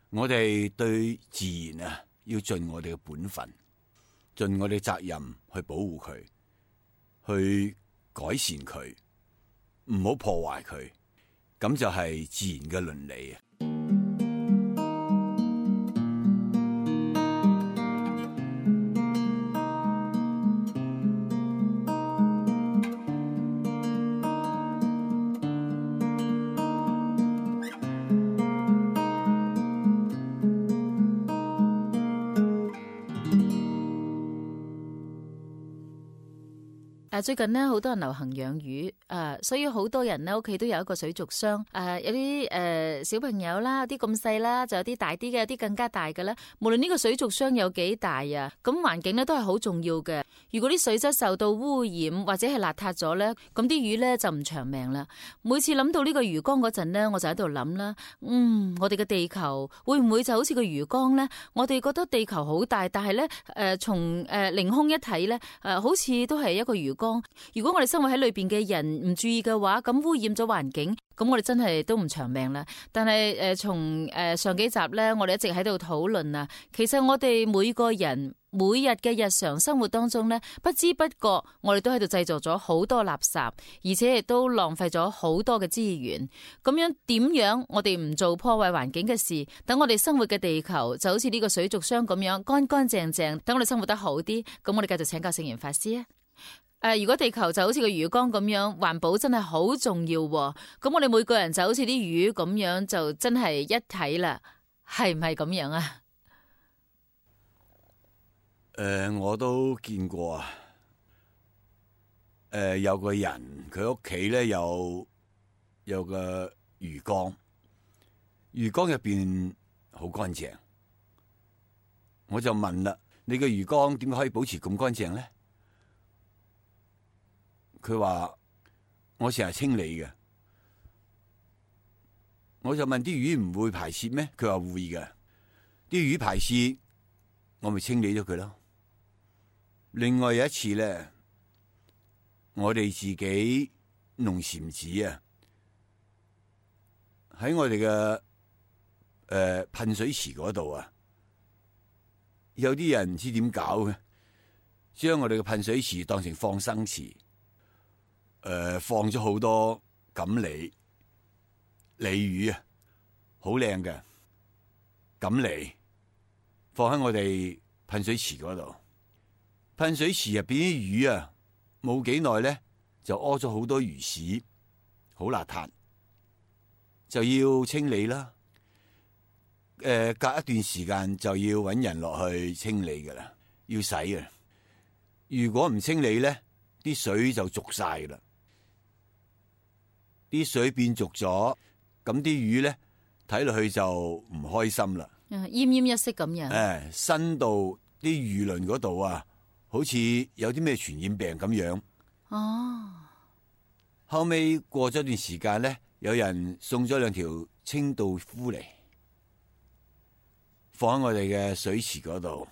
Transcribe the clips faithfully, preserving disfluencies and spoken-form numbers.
我哋對自然啊，要盡我哋嘅本分，盡我哋責任去保護佢，去改善佢，唔好破壞佢，咁就係自然嘅倫理啊。最近呢，好多人流行養魚，誒，所以好多人呢屋企都有一個水族箱，誒，有啲誒小朋友啦，有啲咁細啦，就有啲大啲嘅，有啲更加大嘅咧。無論呢個水族箱有幾大啊，咁環境咧都係好重要嘅。如果啲水質受到污染或者係邋遢咗咧，咁啲魚咧就唔長命啦。每次諗到呢個魚缸嗰陣呢，我就喺度諗啦，嗯，我哋嘅地球會唔會就好似個魚缸咧？我哋覺得地球好大，但係咧，誒，從誒凌空一睇咧，誒，好似都係一個魚缸。如果我哋生活喺裏邊嘅人唔注意嘅話，咁污染咗環境，咁我哋真係都唔長命啦。但係誒，從、呃、誒上幾集咧，我哋一直喺度討論啊。其實我哋每個人每日嘅日常生活當中咧，不知不覺我哋都喺度製造咗好多垃圾，而且亦都浪費咗好多嘅資源。咁樣點樣我哋唔做破壞環境嘅事，等我哋生活嘅地球就好似呢個水族箱咁樣乾乾淨淨，等我哋生活得好啲。咁我哋繼續請教聖嚴法師啊。誒、呃，如果地球就好似個魚缸咁樣，環保真係好重要喎。咁我哋每個人就好似啲魚咁樣，就真係一體啦，係唔係咁樣啊？誒、呃，我都見過啊。誒、呃，有個人佢屋企咧有有個魚缸，魚缸入邊好乾淨。我就問啦，你個魚缸點解可以保持咁乾淨咧？佢話我成日清理嘅。我就問啲魚唔會排泄咩？佢話會嘅。啲魚排泄，我咪清理咗佢咯。另外有一次咧，我哋自己弄禪寺啊，喺我哋嘅誒噴水池嗰度啊，有啲人唔知點搞嘅，將我哋嘅噴水池當成放生池。誒、呃，放咗好多錦鯉鯉魚啊，好靚嘅錦鯉，放喺我哋噴水池嗰度。噴水池入邊啲魚啊，冇幾耐咧就屙咗好多魚屎，好邋遢，就要清理啦。誒、呃，隔一段時間就要搵人落去清理噶啦，要洗啊。如果唔清理咧，啲水就濁晒噶啦。啲水變濁咗，咁啲魚咧睇落去就唔開心啦，奄奄一息咁樣。誒，伸到啲魚鱗嗰度啊，好似有啲咩傳染病咁樣。哦，後尾過咗段時間咧，有人送咗兩條清道夫嚟，放喺我哋嘅水池嗰度。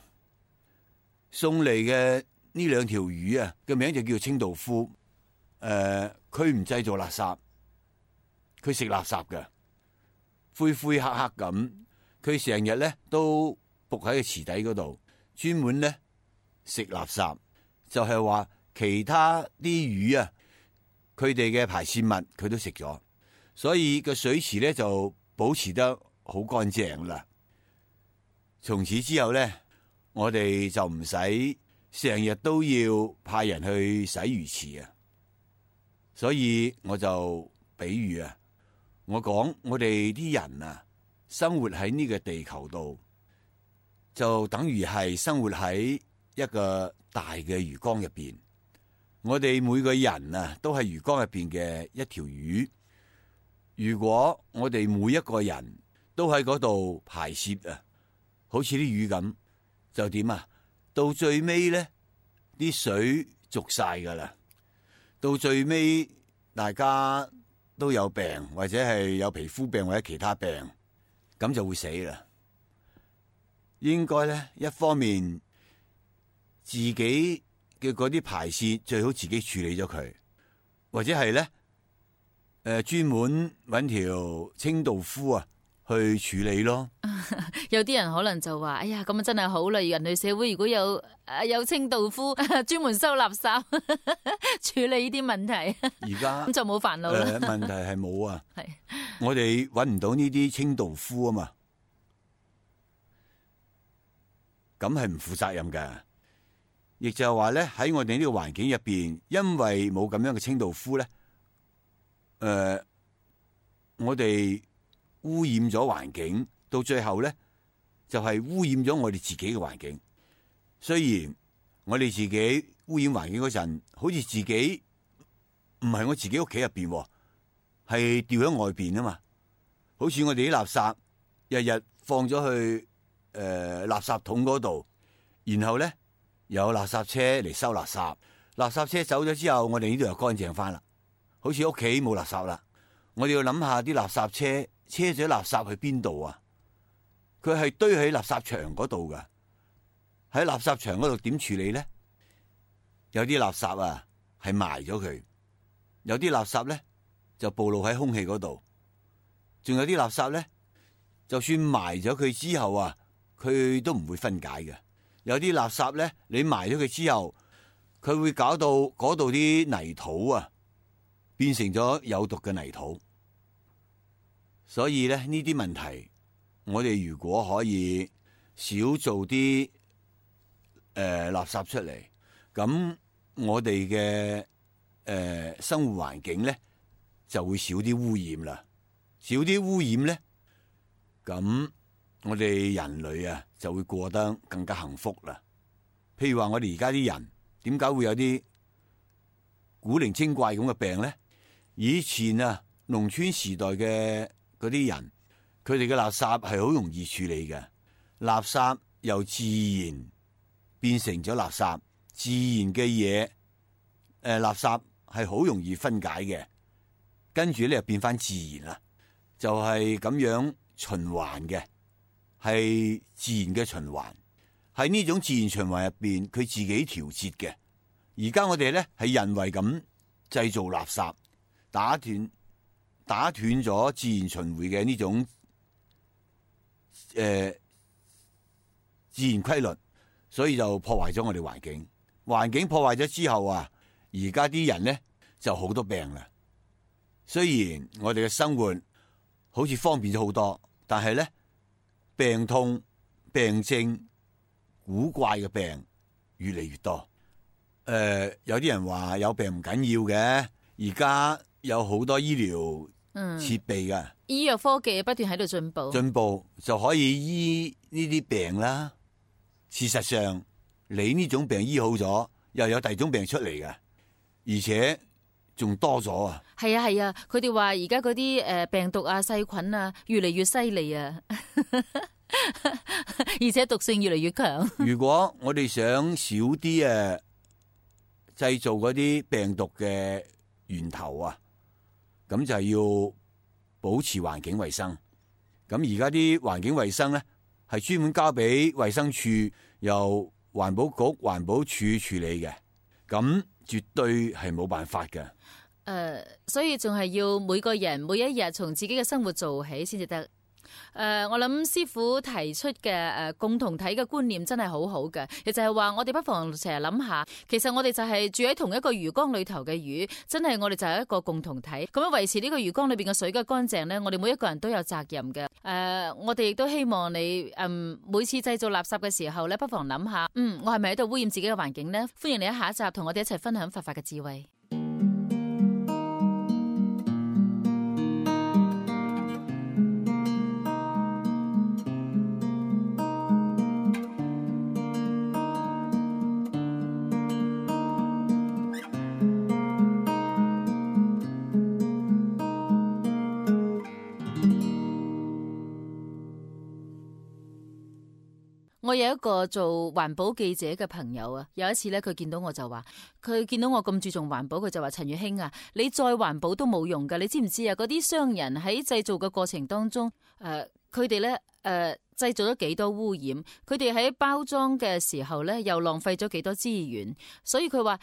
送嚟嘅呢兩條魚啊，嘅名就叫清道夫。誒、呃，佢唔製造垃圾。佢食垃圾嘅，灰灰黑黑咁。佢成日咧都仆喺個池底嗰度，專門咧食垃圾。就係話其他啲魚啊，佢哋嘅排泄物佢都食咗，所以個水池咧就保持得好乾淨啦。從此之後咧，我哋就唔使成日都要派人去洗魚池啊。所以我就比喻啊。我講我哋啲人啊，生活喺呢個地球度，就等於係生活喺一個大嘅魚缸入邊。我哋每個人啊，都係魚缸入邊嘅一條魚。如果我哋每一個人都喺嗰度排泄啊，好似啲魚咁，就點啊？到最尾咧，啲水濁晒噶啦。到最尾，大家都有病，或者係有皮膚病或者其他病，咁就會死啦。應該咧，一方面自己嘅嗰啲排泄最好自己處理咗佢，或者係咧，誒專門搵條清道夫啊，去處理咯。有啲人可能就話：哎呀，咁啊真係好啦！人類社會如果有誒有清道夫專門收垃圾處理呢啲問題，而家咁就冇煩惱啦。誒，問題係冇啊，係我哋揾唔到呢啲清道夫啊嘛，咁係唔負責任㗎。亦就係話咧，喺我哋呢個環境入邊，因為冇咁樣嘅清道夫咧，誒、呃，我哋污染咗環境，到最後咧就係、是、污染咗我哋自己嘅環境。雖然我哋自己污染環境嗰陣，好似自己唔係我自己屋企入邊，係掉喺外邊啊嘛。好似我哋啲垃圾日日放咗去誒、呃、垃圾桶嗰度，然後咧有垃圾車嚟收垃圾，垃圾車走咗之後，我哋呢度又乾淨翻啦，好似屋企冇垃圾啦。我哋要諗下啲垃圾車車咗垃圾去邊度啊？佢係堆喺垃圾場嗰度噶，喺垃圾場嗰度點處理咧？有啲垃圾啊係埋咗佢，有啲垃圾咧就暴露喺空氣嗰度，仲有啲垃圾咧，就算埋咗佢之後啊，佢都唔會分解嘅。有啲垃圾咧，你埋咗佢之後，佢會搞到嗰度啲泥土啊，變成咗有毒嘅泥土。所以咧，呢啲問題，我哋如果可以少做啲誒、呃、垃圾出嚟，咁我哋嘅誒生活環境咧就會少啲污染啦。少啲污染咧，咁我哋人類啊就會過得更加幸福啦。譬如話我哋而家啲人點解會有啲古靈精怪咁嘅病咧？以前啊，農村時代嘅嗰啲人，佢哋嘅垃圾係好容易處理嘅，垃圾由自然變成咗垃圾，自然嘅嘢誒，垃圾係好容易分解嘅，跟住咧又變翻自然啦，就係咁樣循環嘅，係自然嘅循環，喺呢種自然循環入邊，佢自己調節嘅。而家我哋咧係人為咁製造垃圾，打斷打斷咗自然循環嘅呢種誒、呃、自然規律，所以就破壞咗我哋環境。環境破壞咗之後啊，而家啲人咧就好多病啦。雖然我哋嘅生活好似方便咗好多，但係咧病痛、病症、古怪嘅病越嚟越多。誒、呃，有啲人話有病唔緊要嘅，而家有好多醫療設備嘅、嗯，醫藥科技不斷喺度進步，進步就可以醫呢啲病啦。事實上，你呢種病醫好咗，又有第二種病出嚟嘅，而且仲多咗啊！係啊係啊，佢哋話而家嗰啲誒病毒啊、細菌啊越嚟越犀利啊，而且毒性越嚟越強。如果我哋想少啲誒製造嗰啲病毒嘅源頭啊，咁就係要保持環境衛生。咁而家啲環境衛生咧，係專門交俾衛生署，由環保局、環保署處理嘅，咁絕對係冇辦法嘅。誒、呃，所以仲係要每個人每一日從自己嘅生活做起先至得。誒、呃，我諗師傅提出嘅誒、呃、共同體嘅觀念真係好好嘅，亦就係話我哋不妨成日諗下，其實我哋就係住喺同一個魚缸裏頭嘅魚，真係我哋就係一個共同體。咁樣維持呢個魚缸裏邊嘅水嘅乾淨呢，我哋每一個人都有責任嘅。誒、呃，我哋亦都希望你，嗯，每次製造垃圾嘅時候呢，不妨諗下，嗯，我係咪喺度污染自己嘅環境呢？歡迎你喺下一集同我哋一齊分享佛法嘅智慧。我有一個做環保記者嘅朋友啊，有一次咧，佢見到我就話，佢見到我咁注重環保，佢就話：陳月卿啊，你再環保都冇用噶，你知唔知啊？嗰啲商人喺製造嘅過程當中，誒，佢哋咧誒製造咗幾多污染，佢哋喺包裝嘅時候咧又浪費咗幾多資源，所以佢話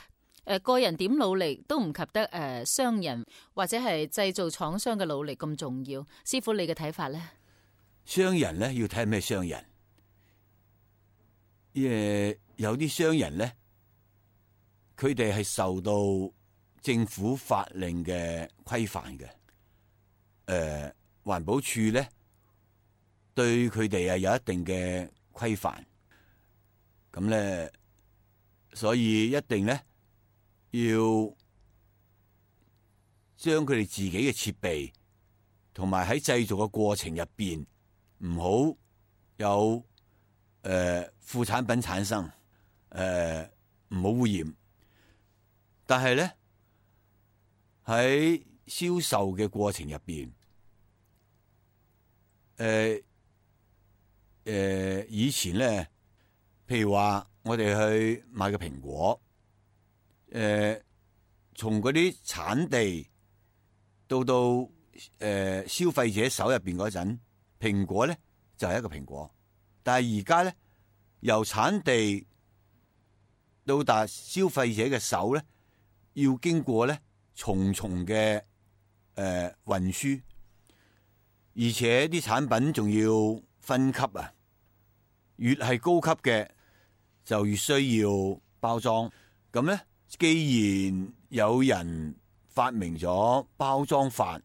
誒個人點努力都唔及得誒、呃、商人或者係製造廠商嘅努力咁重要。師傅你嘅睇法咧？商人咧要睇咩商人，誒有啲商人咧，佢哋係受到政府法令嘅規範嘅，誒、呃、環保署咧對佢哋係有一定嘅規範，咁咧所以一定咧要將佢哋自己嘅設備同埋喺製造嘅過程入邊唔好有誒副產品產生，誒唔好污染。但係咧喺銷售嘅過程入邊，誒誒以前咧，譬如話我哋去買個蘋果，誒從嗰啲產地到到誒、呃、消費者手入邊嗰陣，蘋果咧就係、是、一個蘋果。但係而家咧，由產地到達消費者嘅手咧，要經過咧重重嘅誒運輸，而且啲產品仲要分級啊，越係高級嘅就越需要包裝。咁咧，既然有人發明咗包裝法，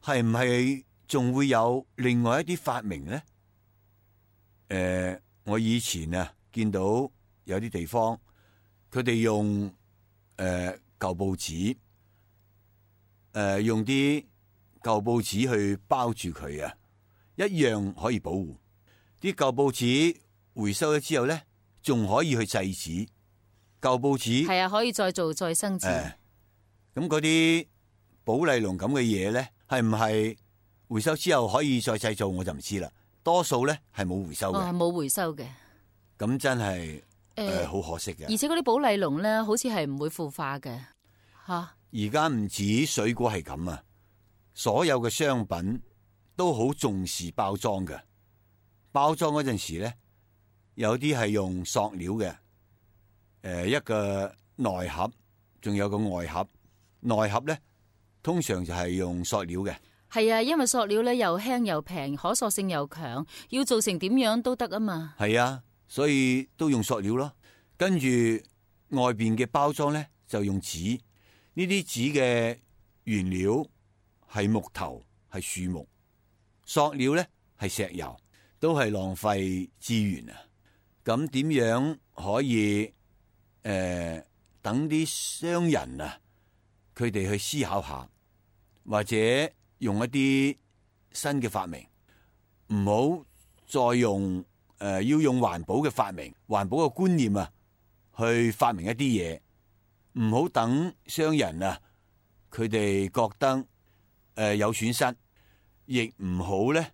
係唔係仲會有另外一啲發明咧？誒、呃，我以前啊見到有啲地方，佢哋用誒、呃、舊報紙，誒、呃、用啲舊報紙去包住佢啊，一樣可以保護。啲舊報紙回收咗之後咧，仲可以去製紙。舊報紙係啊，可以再做再生紙。咁嗰啲寶麗龍咁嘅嘢咧，係唔係回收之後可以再製造，我就唔知啦。多數咧係冇回收嘅，冇、哦、回收嘅。咁真係誒好可惜嘅。而且嗰啲寶麗龍咧，好似係唔會腐化嘅吓。而家唔止水果係咁啊，所有嘅商品都好重視包裝嘅。包裝嗰陣時咧，有啲係用塑料嘅，誒、呃、一個內盒，仲有個外盒。內盒咧通常就係用塑料嘅。係啊，因為塑料咧又輕又平，可塑性又強，要做成點樣都得啊嘛。係啊，所以都用塑料咯。跟住外邊嘅包裝咧就用紙，呢啲紙嘅原料係木頭，係樹木，塑料咧係石油，都係浪費資源啊。咁點樣可以誒、呃、等啲商人啊，佢哋去思考下，或者用一啲新嘅發明，唔好再用誒、呃、要用環保嘅發明、環保嘅觀念啊，去發明一啲嘢，唔好等商人啊，佢哋覺得誒、呃、有損失，亦唔好咧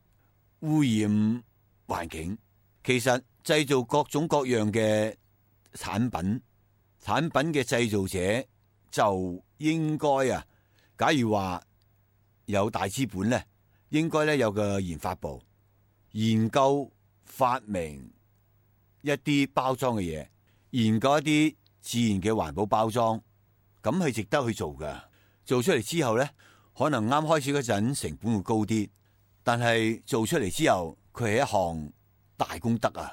污染環境。其實製造各種各樣嘅產品，產品嘅製造者就應該啊，假如話有大資本咧，應該咧有個研發部，研究發明一啲包裝嘅嘢，研究一啲自然嘅環保包裝，咁係值得去做㗎。做出嚟之後咧，可能啱開始嗰陣成本會高啲，但係做出嚟之後，佢係一項大功德啊！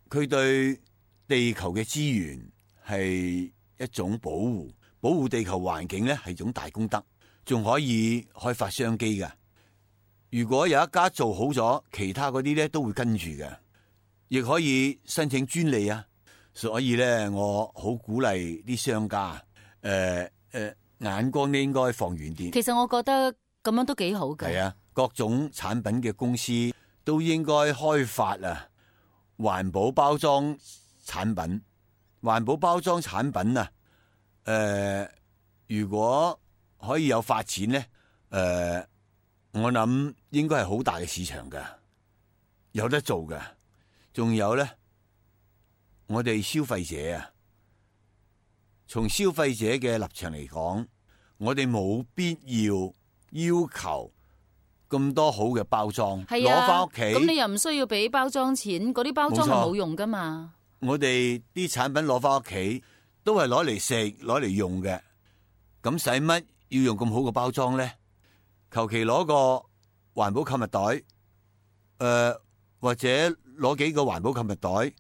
佢對地球嘅資源係一種保護，保護地球環境咧係一種大功德。仲可以開發商機㗎。如果有一家做好咗，其他嗰啲咧都會跟住嘅，亦可以申請專利啊。所以咧，我好鼓勵啲商家，誒、呃、誒、呃，眼光咧應該放遠啲。其實我覺得咁樣都幾好嘅。係啊，各種產品嘅公司都應該開發啊環保包裝產品。環保包裝產品啊，誒、呃，如果可以有發展咧，誒、呃，我諗應該係好大嘅市場㗎，有得做㗎。仲有咧，我哋消費者啊，從消費者嘅立場嚟講，我哋冇必要要求咁多好嘅包裝，攞翻屋企。咁你又唔需要俾包裝錢，嗰啲包裝係冇用噶嘛。我哋啲產品攞翻屋企都係攞嚟食，攞嚟用嘅，咁使乜要用咁好嘅包裝咧？求其攞個環保購物袋，呃、或者攞幾個環保購物袋，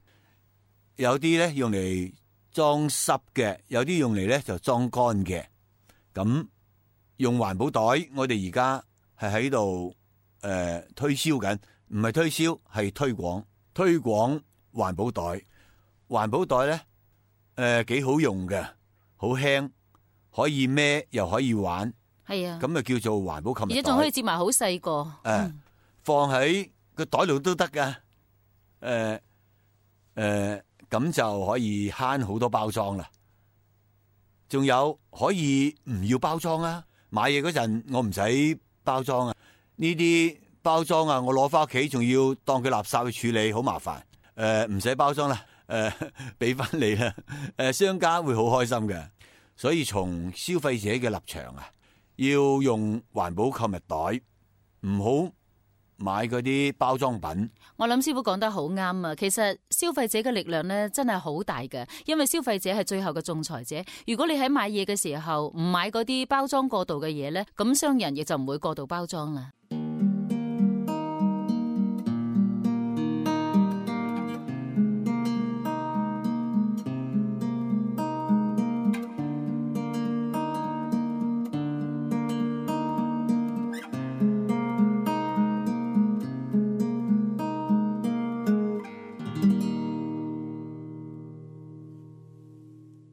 有啲咧用嚟裝濕嘅，有啲用嚟咧就裝乾嘅。咁用環保袋，我哋而家係喺度誒推銷緊，唔係推銷係推廣，推廣環保袋。環保袋咧誒幾好用嘅，好輕，可以孭又可以玩。係啊，咁啊叫做環保購物袋，而家仲可以接埋好細個，誒、嗯、放喺個袋度都得噶。誒、呃、誒，咁、呃、就可以慳好多包裝啦。仲有可以唔要包裝啊！買嘢嗰陣我唔使包裝啊，呢啲包裝啊，我攞翻屋企仲要當佢垃圾去處理，好麻煩。誒、呃，唔使包裝啦，誒、呃，俾翻你啦。誒、呃，商家會好開心嘅。所以從消費者嘅立場啊，要用環保購物袋，唔好買嗰啲包裝品。我諗師傅講得好啱啊！其實消費者嘅力量咧真係好大嘅，因為消費者係最後嘅仲裁者。如果你喺買嘢嘅時候唔買嗰啲包裝過度嘅嘢咧，咁商人亦就唔會過度包裝啦。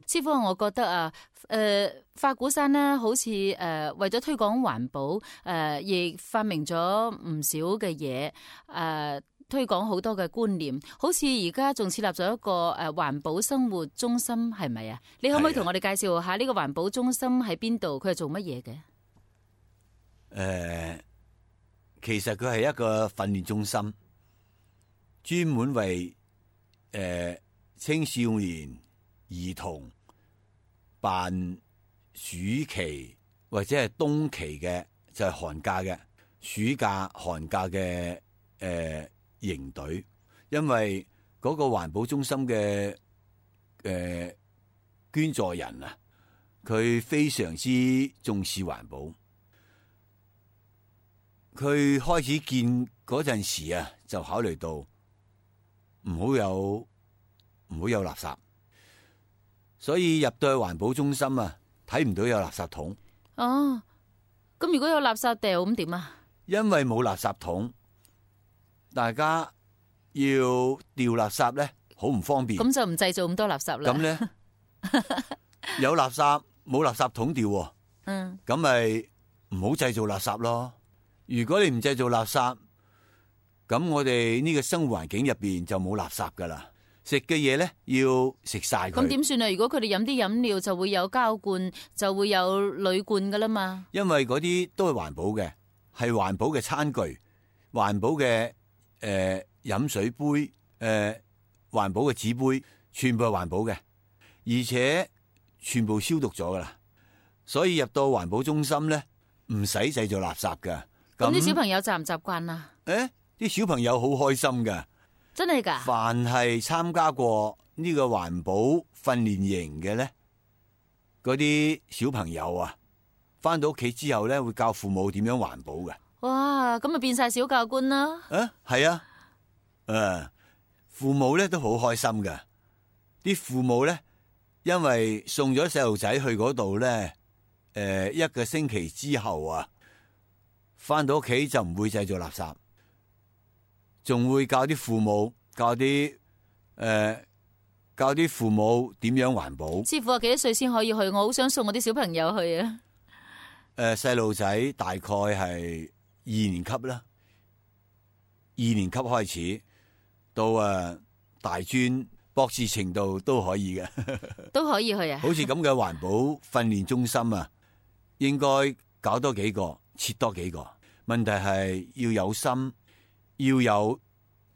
師傅，我覺得啊，誒、呃，法鼓山呢，好似誒、呃、為咗推廣環保，誒、呃，亦發明咗唔少嘅嘢，誒、呃，推廣好多嘅觀念。好似而家仲設立咗一個誒環保生活中心，係咪啊？你可唔可以同我哋介紹下呢個環保中心喺邊度？佢係做乜嘢嘅？誒、呃，其實佢係一個訓練中心，專門為誒、呃、青少年、兒童辦暑期或者係冬期嘅，就係、是、寒假嘅暑假、寒假嘅誒營隊。因為嗰個環保中心嘅誒、呃、捐助人啊，佢非常之重視環保。佢開始建嗰陣時啊，就考慮到唔好有唔好有垃圾。所以入到去環保中心啊，睇唔到有垃圾桶。哦，咁如果有垃圾掉咁點啊？因為冇垃圾桶，大家要掉垃圾咧，好唔方便。咁就唔製造咁多垃圾啦。咁咧有垃圾冇垃圾桶掉，嗯，咁咪唔好製造垃圾咯。如果你唔製造垃圾，咁我哋呢個生活環境入邊就冇垃圾噶啦。食嘅嘢咧要食晒佢。咁點算啊？如果佢哋飲啲飲料就會有膠罐，就會有鋁罐噶啦嘛。因為嗰啲都係環保嘅，係環保嘅餐具、環保嘅誒飲水杯、誒、呃、環保嘅紙杯，全部係環保嘅，而且全部消毒咗噶啦。所以入到環保中心咧，唔使製造垃圾噶。咁啲小朋友習唔習慣啊？誒，啲小朋友好開心噶。真係噶！凡係參加過呢個環保訓練營嘅咧，嗰啲小朋友啊，翻到屋企之後咧，會教父母點樣環保嘅。哇！咁咪變晒小教官啦！啊，係啊，誒、啊，父母咧都好開心㗎。啲父母咧，因為送咗細路仔去嗰度咧，誒、呃，一個星期之後啊，翻到屋企就唔會製造垃圾。仲會教啲父母，教啲誒、呃，教啲父母點樣環保。師傅啊，幾多歲先可以去？我好想送我啲小朋友去啊！誒、呃，細路仔大概係二年級啦，二年級開始到誒、呃、大專博士程度都可以嘅，都可以去啊！好似咁嘅環保訓練中心啊，應該搞多幾個，設多幾個。問題係要有心。要有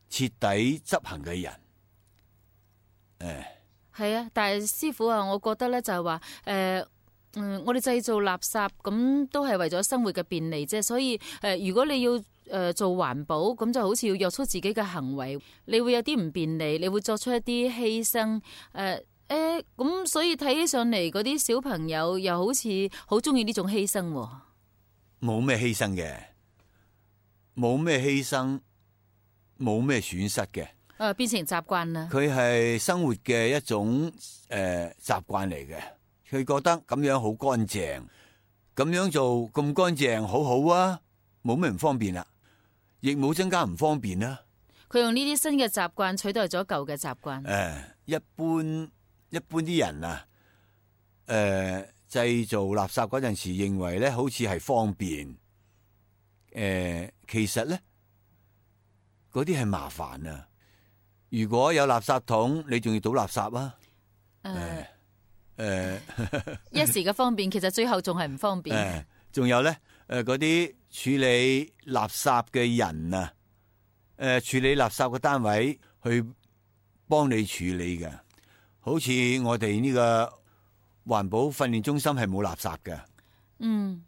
徹底執行嘅人，誒，係啊，但係師傅啊，我覺得咧就係話，誒、呃，嗯，我哋製造垃圾咁都係為咗生活嘅便利啫，所以誒、呃，如果你要誒、呃、做環保，咁就好似要約束自己嘅行為，你會有啲唔便利，你會作出一啲犧牲，誒、呃，誒、呃，咁所以睇起上嚟嗰啲小朋友又好似好中意呢種犧牲，冇咩犧牲嘅。冇咩犧牲，冇咩損失嘅。誒，變成習慣啦。佢係生活嘅一種誒習慣嚟嘅。佢覺得咁樣好乾淨，咁樣做咁乾淨好好啊，冇咩唔方便啦，亦冇增加唔方便啦。佢用呢啲新嘅習慣取代咗舊嘅習慣。誒，一般一般啲人啊，誒製造垃圾嗰陣時，認為咧好似係方便，誒其實咧嗰啲係麻煩啊。如果有垃圾桶，你仲要倒垃圾啊？誒、呃、誒，呃、一時嘅方便，其實最後仲係唔方便。誒，仲有咧，誒嗰啲處理垃圾嘅人啊，誒、呃、處理垃圾嘅單位去幫你處理嘅，好似我哋呢個環保訓練中心係冇垃圾嘅。嗯。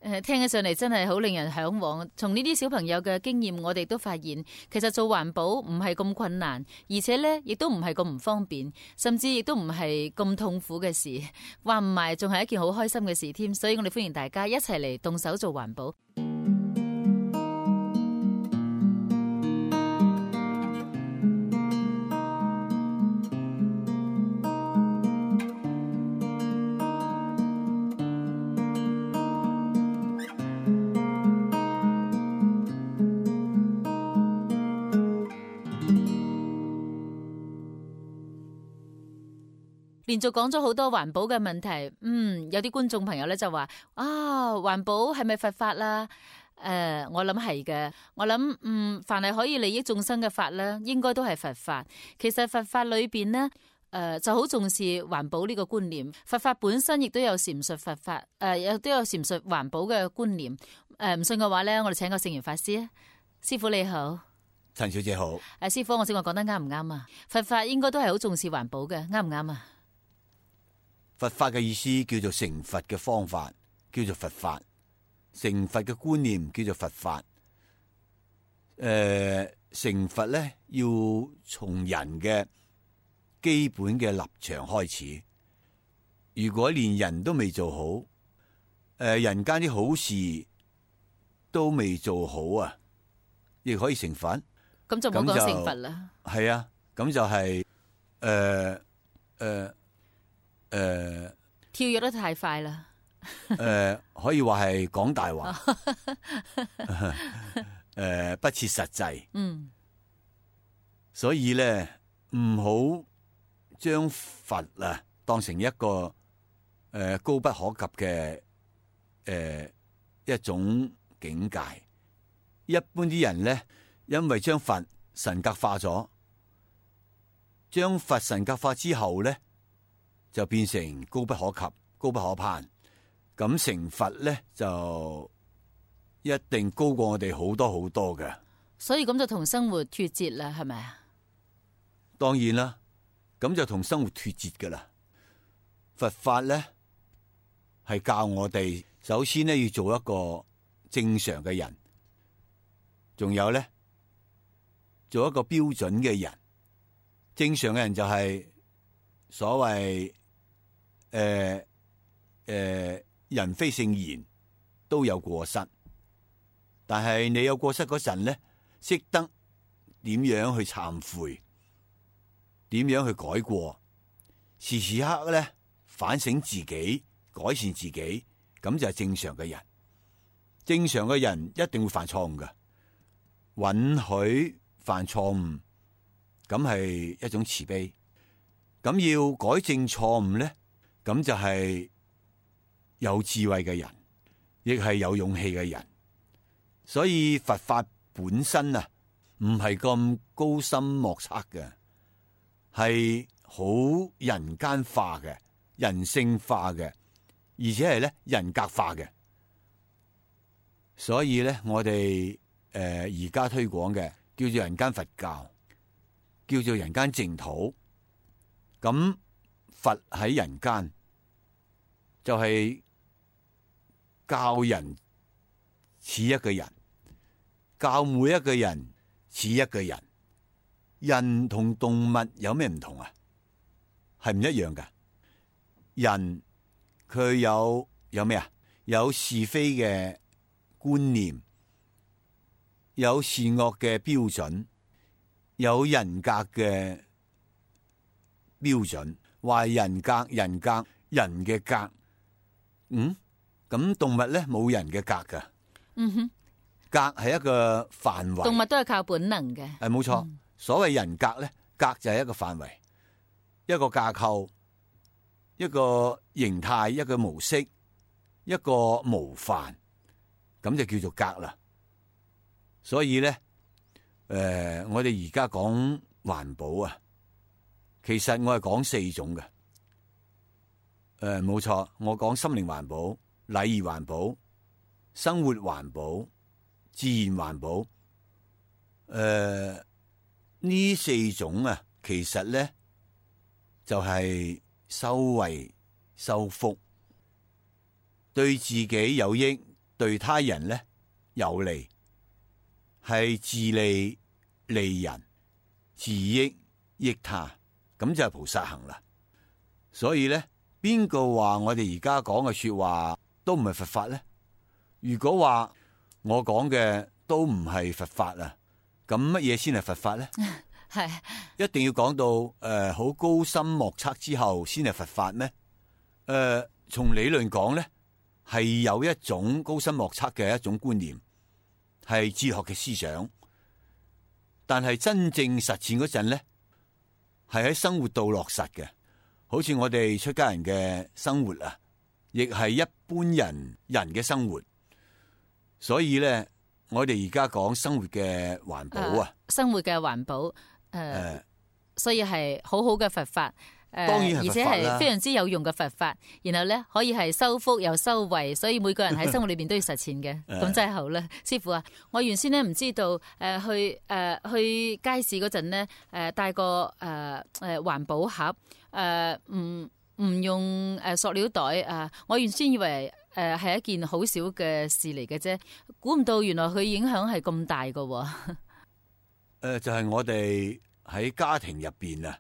誒，聽起上嚟真係好令人向往。從呢啲小朋友嘅經驗，我哋都發現，其實做環保唔係咁困難，而且咧亦都唔係咁唔方便，甚至亦都唔係咁痛苦嘅事。話唔埋，仲係一件好開心嘅事添。所以我哋歡迎大家一齊嚟動手做環保。連續講咗好多環保嘅問題，嗯，有啲觀眾朋友咧就話啊，環保係咪佛法啦？誒、呃，我諗係嘅，我諗嗯，凡係可以利益眾生嘅法咧，應該都係佛法。其實佛法裏邊呢，誒、呃、就好重視環保呢個觀念。佛法本身亦都有闡述佛法，誒亦都有闡述環保嘅觀念。誒、呃、唔信嘅話咧，我哋請個聖嚴法師啊，師父你好，陳小姐好。誒、啊、師父，我先話講得啱唔啱啊？佛法應該都係好重視環保嘅，啱唔啱啊？佛法嘅意思叫做成佛嘅方法，叫做佛法；成佛嘅觀念叫做佛法。誒、呃，成佛咧要從人嘅基本嘅立場開始。如果連人都未做好，誒、呃，人間啲好事都未做好啊，亦可以成佛？咁就冇講成佛啦。係啊，咁就係誒誒。呃呃誒、呃，跳躍得太快啦！誒、呃，可以話係講大話，誒、呃，不切實際。嗯，所以咧，唔好將佛啊當成一個誒、呃、高不可及嘅誒、呃、一種境界。一般啲人咧，因為將佛神格化咗，將佛神格化之後咧，就變成高不可及、高不可攀，咁成佛咧就一定高過我哋好多好多嘅。所以咁就同生活脫節啦，係咪啊？當然啦，咁就同生活脫節噶啦。佛法咧係教我哋，首先咧要做一個正常嘅人，仲有咧做一個標準嘅人。正常嘅人就係所謂。誒、呃、誒、呃，人非聖賢，都有過失。但係你有過失嗰陣咧，識得點樣去懺悔，點樣去改過，時時刻刻咧反省自己，改善自己，咁就係正常嘅人。正常嘅人一定會犯錯誤嘅，允許犯錯誤，咁係一種慈悲。咁要改正錯誤咧，咁就係有智慧嘅人，亦係有勇氣嘅人。所以佛法本身啊，唔係咁高深莫測嘅，係好人間化嘅、人性化嘅，而且係咧人格化嘅。所以咧，我哋誒而家推廣嘅叫做人間佛教，叫做人間淨土。咁佛喺人間，就係教人似一個人，教每一個人似一個人。人同動物有咩唔同啊？係唔一樣噶。人佢有有咩啊？有是非嘅觀念，有善惡嘅標準，有人格嘅標準，話人格人格人嘅格，嗯，咁動物咧冇人嘅格噶，嗯哼，格係一個範圍，動物都係靠本能嘅，係冇錯。嗯、所所謂人格咧，格就係一個範圍，一個架構，一個形態，一個模式，一個模範，咁就叫做格啦。所以咧，誒、呃，我哋而家講環保啊，其實我係講四種嘅。誒、呃，冇錯，我講心靈環保、禮儀環保、生活環保、自然環保。誒、呃，呢四種啊，其實咧就係、是、修惠、修福，對自己有益，對他人咧有利。係自利利人，自益益他，咁就係菩薩行啦。所以咧，邊個話我哋而家講嘅說話都唔係佛法咧？如果話我講嘅都唔係佛法啊，咁乜嘢先係佛法咧？係一定要講到誒好、呃、高深莫測之後先係佛法咩？誒、呃，從理論講咧，係有一種高深莫測嘅一種觀念。係哲學嘅思想，但係真正實踐嗰陣咧，係喺生活度落實嘅。好似我哋出家人嘅生活啊，亦係一般人人嘅生活。所以咧，我哋而家講生活嘅環保啊，呃、生活嘅環保，誒、呃，呃、所以係好好嘅佛法。誒，當然係而且係非常之有用嘅佛法，然後咧可以係修福又修惠，所以每個人喺生活裏邊都要實踐嘅，咁真係好啦。師父啊，我原先咧唔知道，誒、呃、去誒、呃、去街市嗰陣咧，誒、呃、帶個誒誒環保盒，誒唔唔用誒塑料袋啊、呃，我原先以為誒係一件好少嘅事嚟嘅啫，估唔到原來佢影響係咁大噶。誒、呃，就係、是、我哋喺家庭入邊啊。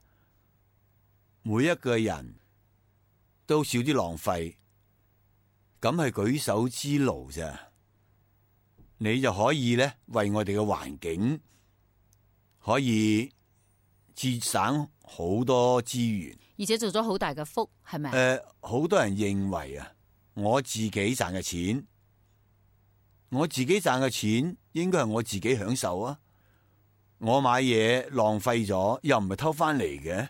每一個人都少啲浪費，咁係舉手之勞啫。你就可以咧為我哋嘅環境可以節省好多資源，而且做咗好大嘅福，係咪？誒、呃，好多人認為啊，我自己賺嘅錢，我自己賺嘅錢應該係我自己享受啊。我買嘢浪費咗，又唔係偷翻嚟嘅。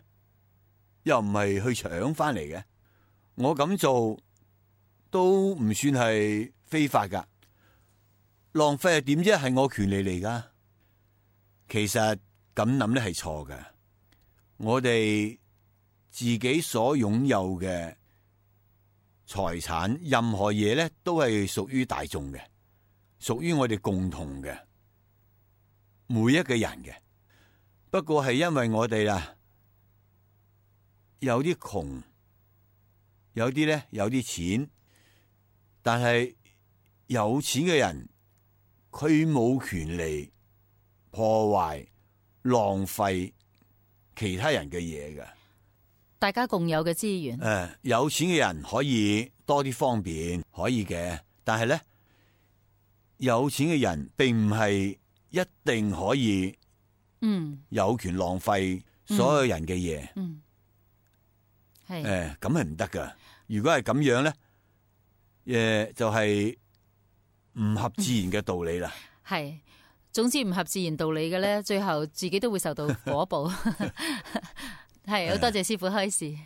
又唔係去搶翻嚟嘅，我咁做都唔算係非法噶。浪費係點啫？係我權利嚟噶。其實咁諗咧係錯嘅。我哋自己所擁有嘅財產，任何嘢咧都係屬於大眾嘅，屬於我哋共同嘅，每一個人嘅。不過係因為我哋啊。有啲窮，有啲咧有啲錢，但係有錢嘅人佢冇權利破壞、浪費其他人嘅嘢嘅。大家共有嘅資源。誒、呃，有錢嘅人可以多啲方便，可以嘅。但係咧，有錢嘅人並唔係一定可以，嗯，有權浪費所有人嘅嘢。嗯。嗯誒，咁係唔得噶。如果係咁樣咧，誒就係、是、唔合自然嘅道理啦。係，總之唔合自然道理嘅咧，最後自己都會受到果報。係，好多謝師父開示。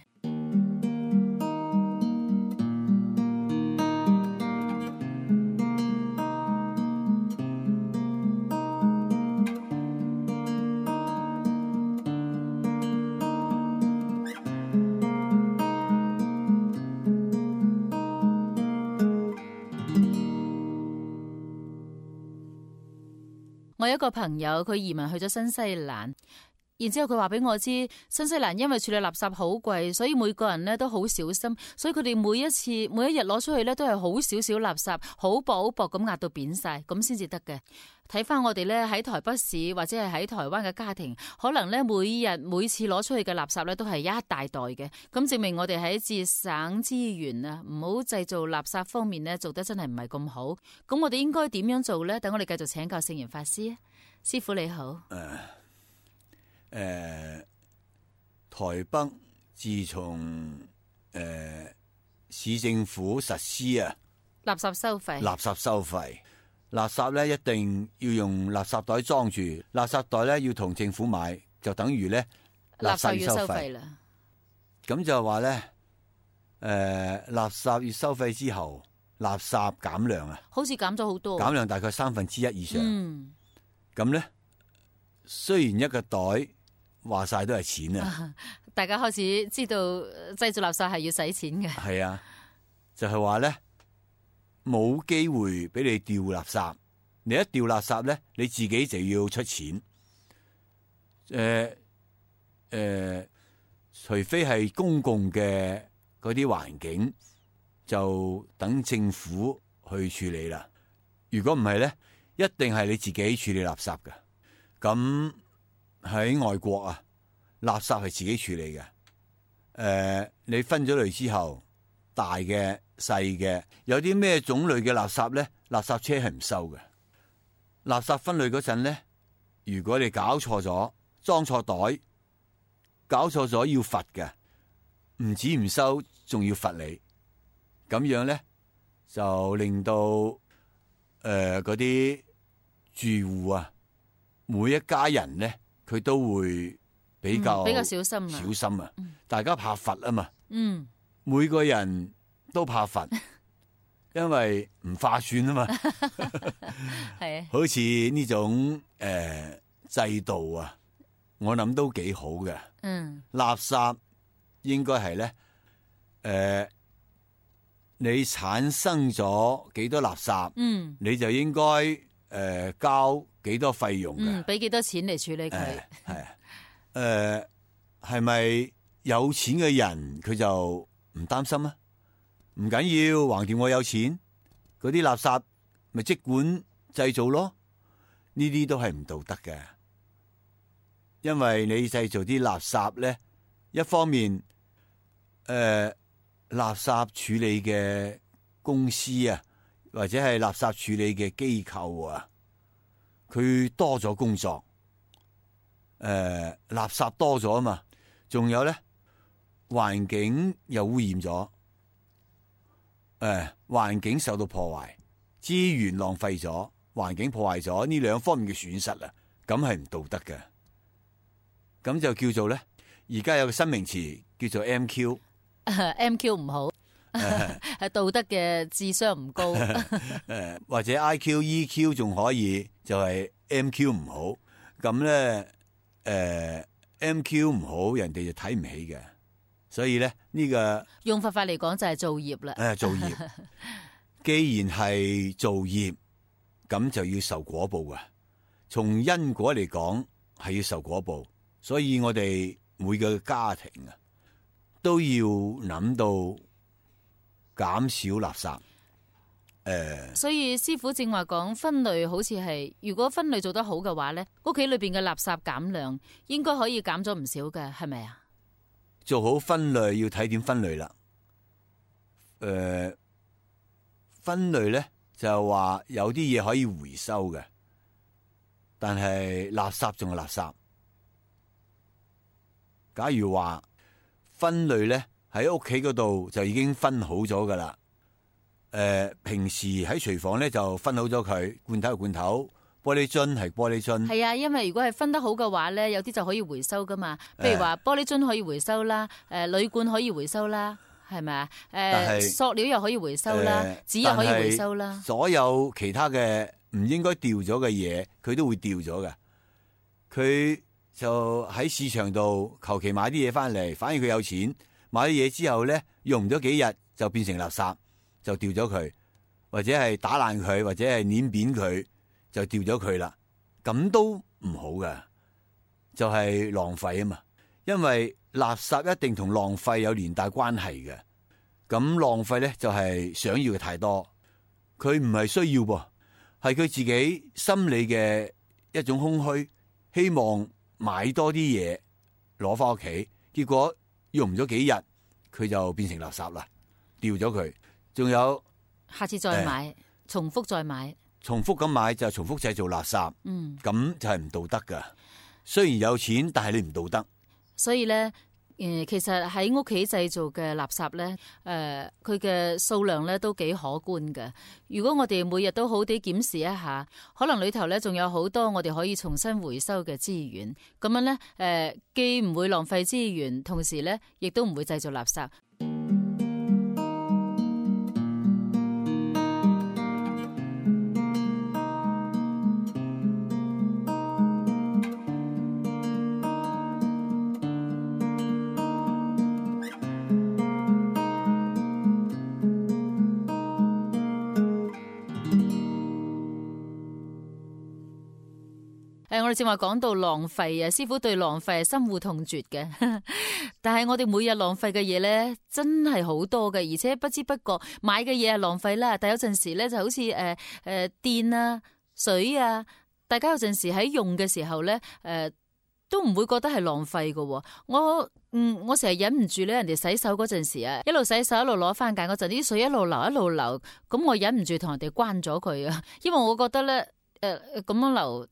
我有一個朋友，佢移民去咗新西蘭，然之後佢話俾我知，新西蘭因為處理垃圾好貴，所以每個人咧都好小心，所以佢哋每一次每一日攞出去咧都係好少少垃圾，好薄好薄咁壓到扁晒，咁先至得嘅。睇翻我哋咧喺台北市或者係喺台灣嘅家庭，可能咧每日每次攞出去嘅垃圾咧都係一大袋嘅，咁證明我哋喺節省資源啊，唔好製造垃圾方面咧做得真係唔係咁好。咁我哋應該點樣做咧？等我哋繼續請教聖嚴法師。師父你好。誒，呃、台北自從誒、呃、市政府實施啊垃圾收費，垃圾收費，垃圾咧一定要用垃圾袋裝住，垃圾袋咧要同政府買，就等於咧垃圾要收費啦。咁就話咧，誒、呃，垃圾要收費之後，垃圾減量啊，好似減咗好多，減量大概三分之一以上。嗯，咁咧，雖然一個袋話晒都係錢啊，大家開始知道製造垃圾係要使錢嘅。係啊，就係話咧，冇機會俾你掉垃圾，你一掉垃圾咧，你自己就要出錢。誒、呃、誒。呃除非係公共嘅嗰啲環境，就等政府去處理啦。如果唔係咧，一定係你自己處理垃圾嘅。咁喺外國啊，垃圾係自己處理嘅。誒、呃，你分咗類之後，大嘅、細嘅，有啲咩種類嘅垃圾咧，垃圾車係唔收嘅。垃圾分類嗰陣咧，如果你搞錯咗，裝錯袋。搞錯咗要罰嘅，唔止唔收，仲要罰你。咁樣咧就令到誒嗰啲住戶啊，每一家人咧佢都會比較、嗯、比較小心小心啊！嗯、大家怕罰啊嘛，嗯，每個人都怕罰，因為唔划算啊嘛。係啊，好似呢種誒、呃、制度啊。我諗都幾好嘅，嗯，垃圾應該係咧，誒、呃，你產生咗幾多垃圾，嗯，你就應該誒、呃、交幾多費用嘅，嗯，俾幾多錢嚟處理佢，係、呃、啊，誒、呃，係咪有錢嘅人佢就唔擔心啊？唔緊要，橫掂我有錢，嗰啲垃圾咪即管製造咯，呢啲都係唔道德嘅。因為你製造啲垃圾咧，一方面，誒、呃，垃圾處理嘅公司啊，或者係垃圾處理嘅機構啊，佢多咗工作，誒、呃，垃圾多咗啊嘛，仲有咧，環境又污染咗，誒、呃，環境受到破壞，資源浪費咗，環境破壞咗，呢兩方面嘅損失啊，咁係唔道德嘅。咁就叫做咧，而家有個新名詞叫做 M Q，M Q 唔好，係道德嘅智商唔高，誒或者 I Q、E Q 仲可以，就係 M Q 唔好。咁咧，誒 M Q 唔好，人哋就睇唔起嘅。所以咧，呢個用佛法嚟講就係造業啦。誒造業，既然係造業，咁就要受果報嘅。從因果嚟講，係要受果報。所以我哋每個家庭啊，都要諗到減少垃圾。誒、呃，所以師父正話講分類，好似係如果分類做得好嘅話咧，屋企裏邊嘅垃圾減量應該可以減咗唔少嘅，係咪啊？做好分類要睇點分類啦。誒、呃，分類咧就係話有啲嘢可以回收嘅，但係垃圾仲係垃圾。假如話分類咧喺屋企嗰度就已經分好咗噶啦，誒、呃，平時喺廚房咧就分好咗佢，罐頭係罐頭，玻璃樽係玻璃樽。係啊，因為如果係分得好嘅話咧，有啲就可以回收噶嘛。譬如話玻璃樽可以回收啦，誒、呃，鋁罐可以回收啦，係咪啊？誒、呃，塑料又可以回收啦，紙、呃、又可以回收啦。所有其他嘅唔應該掉咗嘅嘢，佢都會掉咗嘅。佢就喺市場度求其買啲嘢翻嚟，反而佢有錢買啲嘢之後咧，用唔咗幾日就變成垃圾，就掉咗佢，或者係打爛佢，或者係碾扁佢，就掉咗佢啦。咁都唔好㗎，就係浪費啊嘛。因為垃圾一定同浪費有連帶關係嘅。咁浪費咧就係想要嘅太多，佢唔係需要噃，係佢自己心理嘅一種空虛，希望買多啲嘢攞翻屋企，結果用唔咗幾日，佢就變成垃圾啦，掉咗佢。仲有下次再買，呃、重複再買，重複咁買就重複製造垃圾，嗯，咁就係唔道德噶。雖然有錢，但係你唔道德。所以咧，誒，其實喺屋企製造嘅垃圾咧，誒、呃，佢嘅數量咧都幾可觀嘅。如果我哋每日都好啲檢視一下，可能裏頭咧仲有好多我哋可以重新回收嘅資源。咁樣咧，誒、呃，既唔會浪費資源，同時咧亦都唔會製造垃圾。誒，我哋正話講到浪費啊，師傅對浪費係深惡痛絕嘅。但係我哋每日浪費嘅嘢咧，真係好多嘅，而且不知不覺買嘅嘢係浪費啦。但有陣時咧，就好似誒誒電啊、水啊，大家有陣時喺用嘅時候咧，誒、呃、都唔會覺得係浪費嘅。我嗯，我成日忍唔住咧，人哋洗手嗰陣時啊，一路洗手一路攞番梘嗰陣，啲水一路流一路流，咁我忍唔住同人哋關咗佢啊，因為我覺得咧，誒咁樣流。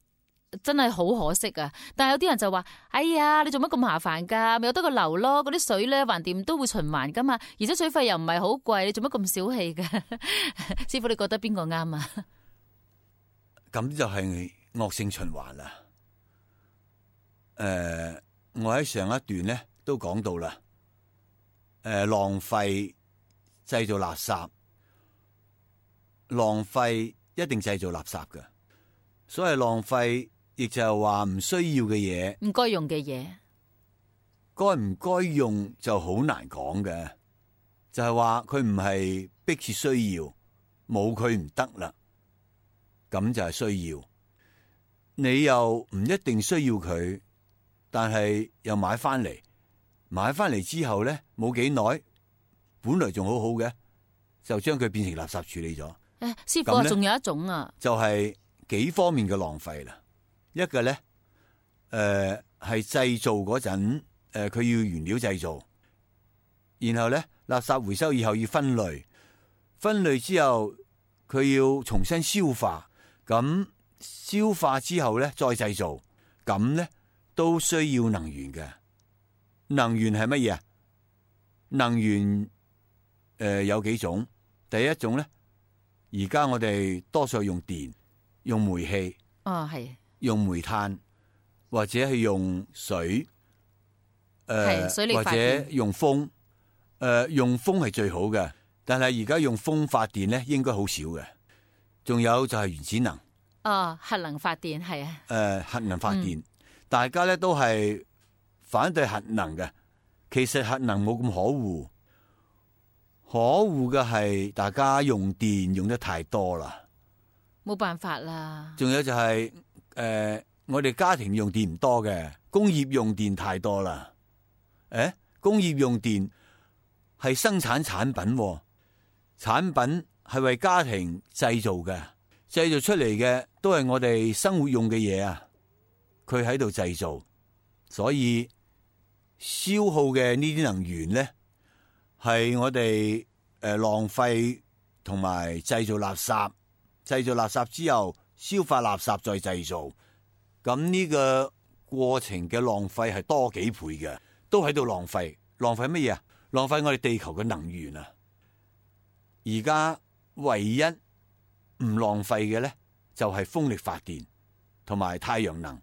真係好可惜啊！但係有啲人就話：哎呀，你做乜咁麻煩噶？咪有得個流咯，嗰啲水咧橫掂都會循環噶嘛，而且水費又唔係好貴，你做乜咁小氣噶？師傅，你覺得邊個啱啊？咁就係惡性循環啦。誒、呃，我喺上一段咧都講到啦。誒、呃，浪費製造垃圾，浪費一定製造垃圾嘅。所謂浪費，亦就係話唔需要嘅嘢，唔該用嘅嘢，該唔該用就好難講嘅。就係話佢唔係迫切需要，冇佢唔得啦，咁就係需要。你又唔一定需要佢，但係又買翻嚟，買翻嚟之後咧冇幾耐，本來仲好好嘅，就將佢變成垃圾處理咗。誒，師傅啊，仲有一種啊，就係、是。幾方面嘅浪費啦，一個咧，誒、呃、係製造嗰陣，誒、呃、佢要原料製造，然後咧垃圾回收以後要分類，分類之後佢要重新消化，咁消化之後咧再製造，咁咧都需要能源嘅。能源係乜嘢啊？能源誒、呃、有幾種，第一種咧，而家我哋多數用電。用煤氣，哦係，用煤炭或者係用水，誒、呃、水力或者用風，誒、呃、用風係最好嘅，但係而家用風發電咧應該好少嘅。仲有就係原子能，哦核能發電係啊，誒、呃、核能發電，嗯、大家咧都係反對核能嘅。其實核能冇咁可惡，可惡嘅係大家用電用得太多啦。冇辦法啦。仲有就係、是、誒、呃，我哋家庭用電唔多嘅，工業用電太多啦。誒，工業用電係生產產品，產品係為家庭製造嘅，製造出嚟嘅都係我哋生活用嘅嘢啊。佢喺度製造，所以消耗嘅呢啲能源咧，係我哋誒、呃、浪費同埋製造垃圾。製造垃圾之後，消化垃圾再製造，咁呢個過程嘅浪費係多幾倍嘅，都喺度浪費。浪費乜嘢啊？浪費我哋地球嘅能源啊！而家唯一唔浪費嘅咧，就係風力發電同埋太陽能，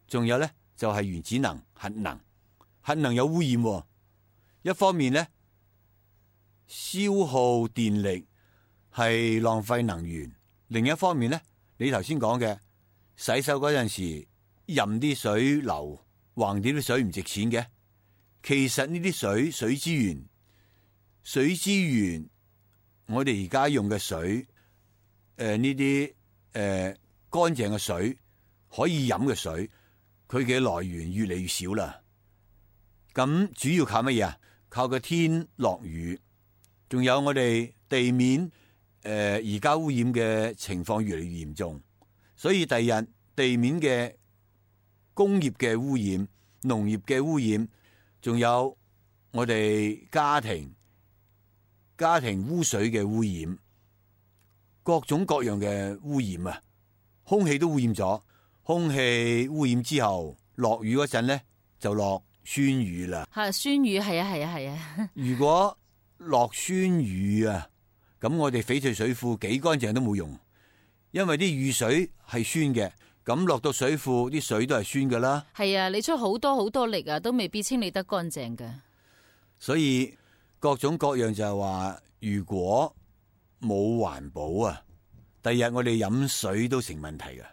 仲有咧就係原子能、核能。核能有污染喎，一方面咧消耗電力。係浪費能源，另一方面咧，你頭先講嘅洗手嗰陣時任啲水流，橫掂啲水唔值錢嘅。其實呢啲水水資源，水資源，我哋而家用嘅水，誒呢啲誒乾淨嘅水，可以飲嘅水，佢嘅來源越嚟越少啦。咁主要靠乜嘢啊？靠個天落雨，仲有我哋地面。誒，而家污染嘅情況越嚟越嚴重，所以第日地面嘅工業嘅污染、農業嘅污染，仲有我哋家庭家庭污水嘅污染，各種各樣嘅污染啊，空氣都污染咗，空氣污染之後，落雨嗰陣咧就落酸雨啦。係酸雨，係啊係啊係啊。如果落酸雨啊，咁我哋翡翠水庫幾乾淨都冇用，因為啲雨水係酸嘅，咁落到水庫啲水都係酸噶啦。係啊，你出好多好多力啊，都未必清理得乾淨㗎。所以各種各樣就係話，如果冇環保啊，第日我哋飲水都成問題㗎。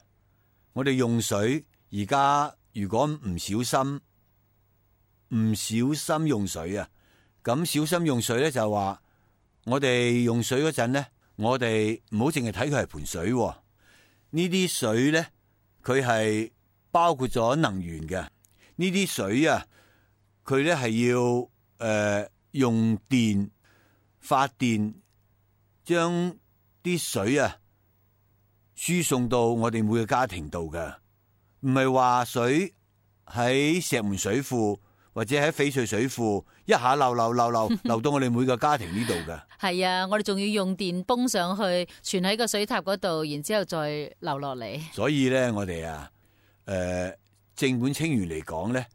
我哋用水而家如果唔小心唔小心用水啊，咁小心用水咧就係話，我哋用水嗰陣咧，我哋唔好淨係睇佢係盆水，呢啲水咧佢係包括咗能源嘅。呢啲水啊，佢咧係要誒、呃、用電發電，將啲水啊輸送到我哋每個家庭度嘅，唔係話水喺石門水庫或者喺翡翠水庫一下流流流流流到我哋每個家庭呢度嘅。係啊，我哋仲要用電泵上去，存喺個水塔嗰度，然之後再流落嚟。所以咧，我哋啊，誒、呃，正本清源嚟講咧，誒、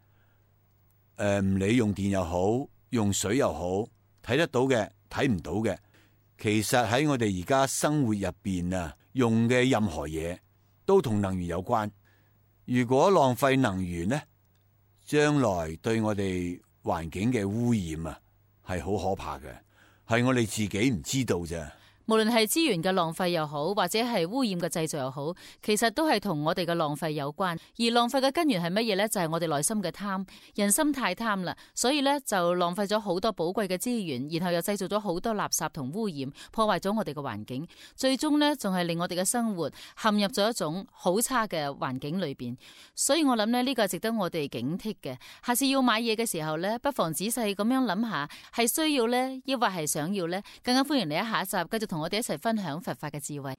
呃，唔理用電又好，用水又好，睇得到嘅，睇唔到嘅，其實喺我哋而家生活入邊啊，用嘅任何嘢都同能源有關。如果浪費能源咧，將來對我哋環境嘅污染啊，係好可怕嘅，係我哋自己唔知道啫。無論係資源嘅浪費又好，或者係污染嘅製造又好，其實都係同我哋嘅浪費有關。而浪費嘅根源係乜嘢呢？就係我哋內心嘅貪，人心太貪啦，所以呢，就浪費咗好多寶貴嘅資源，然後又製造咗好多垃圾同污染，破壞咗我哋嘅環境，最終呢，仲係令我哋嘅生活陷入咗一種好差嘅環境裏邊。所以我諗呢，呢個係值得我哋警惕嘅。下次要買嘢嘅時候呢，不妨仔細咁樣諗下，係需要呢，抑或係想要呢？更加歡迎你喺下一集繼續同我哋一齊分享佛法嘅智慧。